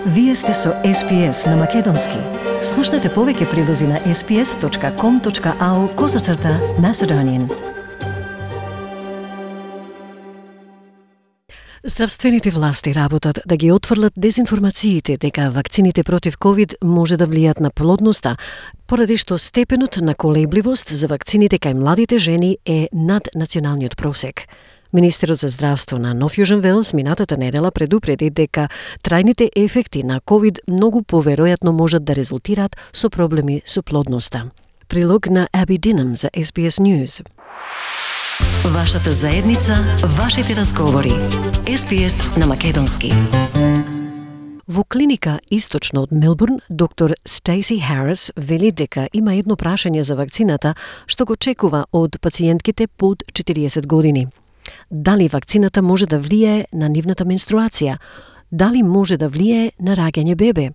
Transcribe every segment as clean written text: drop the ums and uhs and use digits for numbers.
Вие сте со SPS на Македонски. Слушнете повеќе прилози на sps.com.au/Macedonian. Здравствените власти работат да ги отфрлат дезинформациите дека вакцините против COVID може да влијат на плодноста, поради што степенот на колебливост за вакцините кај младите жени е над националниот просек. Министерот за здравство на Нов Јужен Велс минатата недела предупреди дека трајните ефекти на COVID многу поверојатно можат да резултираат со проблеми со плодноста. Прилог на Аби Динам за SBS News. Вашата заедница, вашите разговори. SBS на Македонски. Во клиника источно од Мелбурн, доктор Стейси Харис вели дека има едно прашање за вакцината што го чекува од пациентките под 40 години. Дали вакцината може да влијае на нивната менструација? Дали може да влијае на раѓање бебе?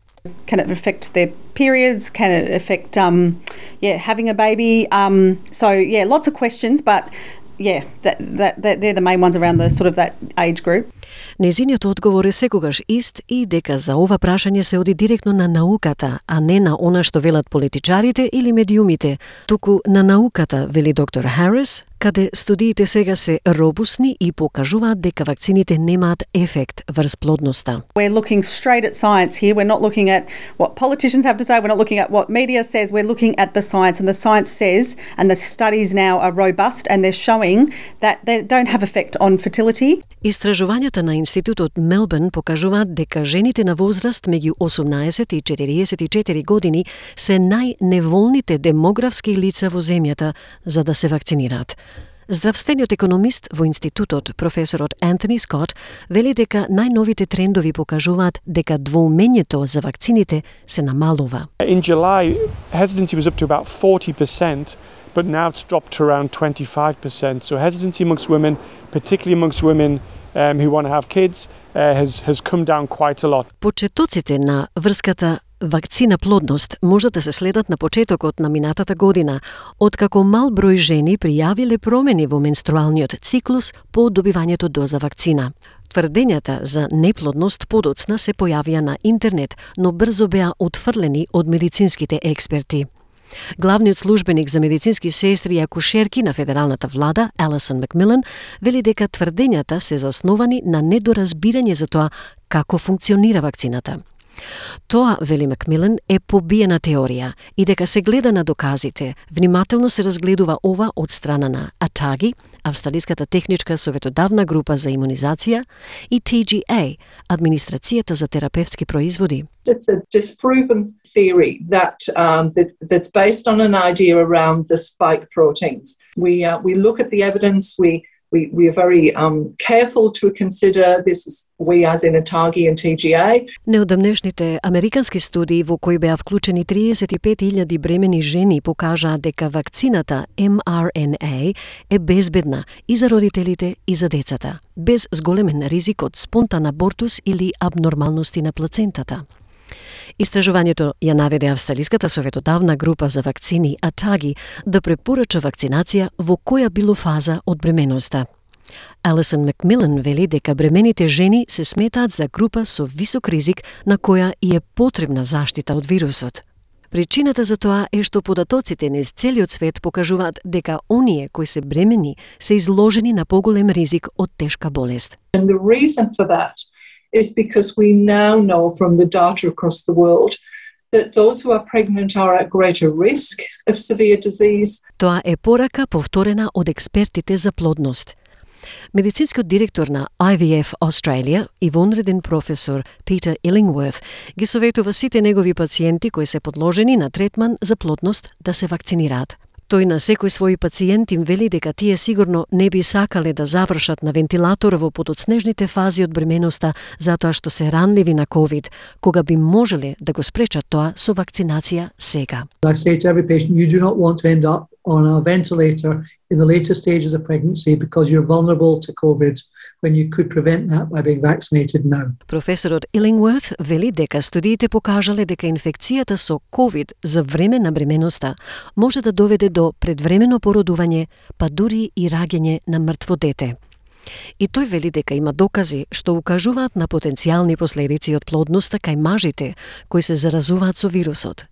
Can it affect their periods? Can it affect having a baby? Lots of questions, but they're the main ones around the sort of that age group. Незиниот одговор е секогаш ист и дека за ова прашање се оди директно на науката, а не на она што велат политичарите или медиумите, туку на науката, вели доктор Харис, каде студиите сега се робусни и покажуваат дека вакцините немаат ефект врз плодноста. We're looking straight at science here. We're not looking at what politicians have to say. We're not looking at what media says. We're looking at the science, and the science says, and the studies now are robust, and they're showing that they don't have effect on fertility. Истражувањата на Институтот Мелбурн покажуваат дека жените на возраст меѓу 18 и 44 години се најневолните демографски лица во земјата за да се вакцинираат. Здравствениот економист во институтот, професорот Антони Скот, вели дека најновите трендови покажуваат дека двоумењето за вакцините се намалува. In July, hesitancy was up to about 40%, but now it's dropped to around 25%. So hesitancy amongst women, particularly amongst women who want to have kids, has come down quite a lot. Почетоците на врската вакцина плодност можат да се следат на почетокот на минатата година, откако мал број жени пријавиле промени во менструалниот циклус по добивањето доза вакцина. Тврдењата за неплодност подоцна се појавија на интернет, но брзо беа отфрлени од медицинските експерти. Главниот службеник за медицински сестри и акушерки на федералната влада, Алисон Макмилан, вели дека тврдењата се засновани на недоразбирање за тоа како функционира вакцината. Тоа, вели Макмилан, е побиена теорија и дека се гледа на доказите. Внимателно се разгледува ова од страна на ATAGI, Австралиската техничка советодавна група за имунизација, и TGA, Администрацијата за терапевтски производи. It's a disproven theory that's based on an idea around the spike proteins. We look at the evidence. We are very careful to consider this. We as in ATAGI and TGA. Неодамнешните американски студии во кои беа вклучени 35.000 бремени жени покажаа дека вакцината mRNA е безбедна и за родителите и за децата, без зголемен ризик од спонтан абортус или абнормалности на плацентата. Истражувањето ја наведе Австралиската советодавна група за вакцини ATAGI да препорача вакцинација во која било фаза од бременоста. Алисон Макмилан вели дека бремените жени се сметаат за група со висок ризик на која и е потребна заштита од вирусот. Причината за тоа е што податоците низ целиот свет покажуваат дека оние кои се бремени се изложени на поголем ризик од тешка болест. And the reason for that is because we now know from the data across the world that those who are pregnant are at greater risk of severe disease. Тоа е порака повторена од експертите за плодност. Медицинскиот директор на IVF Australia и вонреден професор Питер Illingworth ги советува сите негови пациенти кои се подложени на третман за плодност да се вакцинираат. Тој на секој свој пациент им вели дека тие сигурно не би сакале да завршат на вентилатор во подоцнежните фази од бременоста затоа што се ранливи на COVID, кога би можеле да го спречат тоа со вакцинација сега. I say to every patient, you do not want to end up on a ventilator in the later stages of pregnancy because you're vulnerable to COVID when you could prevent that by being vaccinated now. Професорот Illingworth вели дека студиите покажале дека инфекцијата со COVID за време на бременоста може да доведе до предвремено породување, па дури и раѓање на мртво дете. И тој вели дека има докази што укажуваат на потенцијални последици од плодноста кај мажите кои се заразуваат со вирусот.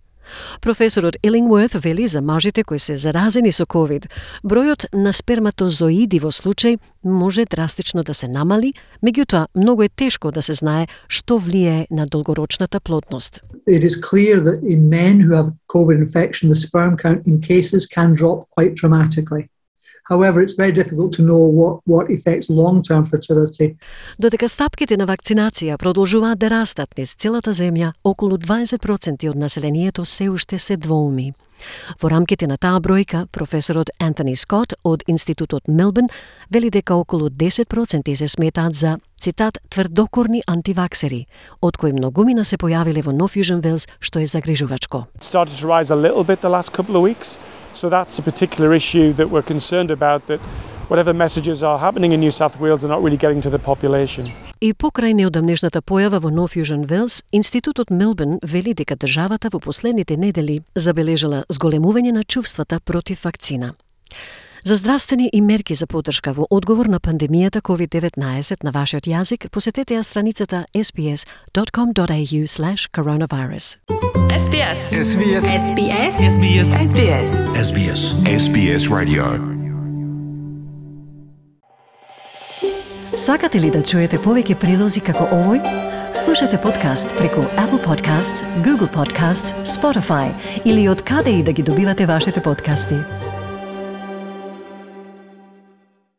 Професорот Illingworth вели за мажите кои се заразени со COVID, бројот на сперматозоиди во случај може драстично да се намали, меѓутоа многу е тешко да се знае што влијае на долгорочната плодност. It is clear that in men who have COVID infection, the sperm count in cases can drop quite dramatically. However, it's very difficult to know what affects long-term fertility. Додека стапките на вакцинација продолжуваат да растат низ целата земја, околу 20% од населението се уште се двоуми. Во рамките на таа бројка, професорот Антони Скот од Институтот Мелбурн вели дека околу 10% се сметаат за, цитат, тврдокорни антиваксери, од кои многумина се појавиле во Нов Јужен Велс, што е загрижувачко. It started to rise a little bit the last couple of weeks. So that's a particular issue that we're concerned about, that whatever messages are happening in New South Wales are not really getting to the population. И покрај неодамнешната појава во Нов Јужен Велс, Институтот Мелбурн вели дека државата во последните недели забележала зголемување на чувствата против вакцина. За здравствени и мерки за поддршка во одговор на пандемијата COVID-19 на вашиот јазик, посетете ја страницата sbs.com.au/coronavirus. SBS. SBS. SBS. SBS. SBS. SBS. SBS Radio. Сакате ли да чуете повеќе прилози како овој? Слушате подкаст преку Apple Podcasts, Google Podcasts, Spotify или од каде и да ги добивате вашите подкасти.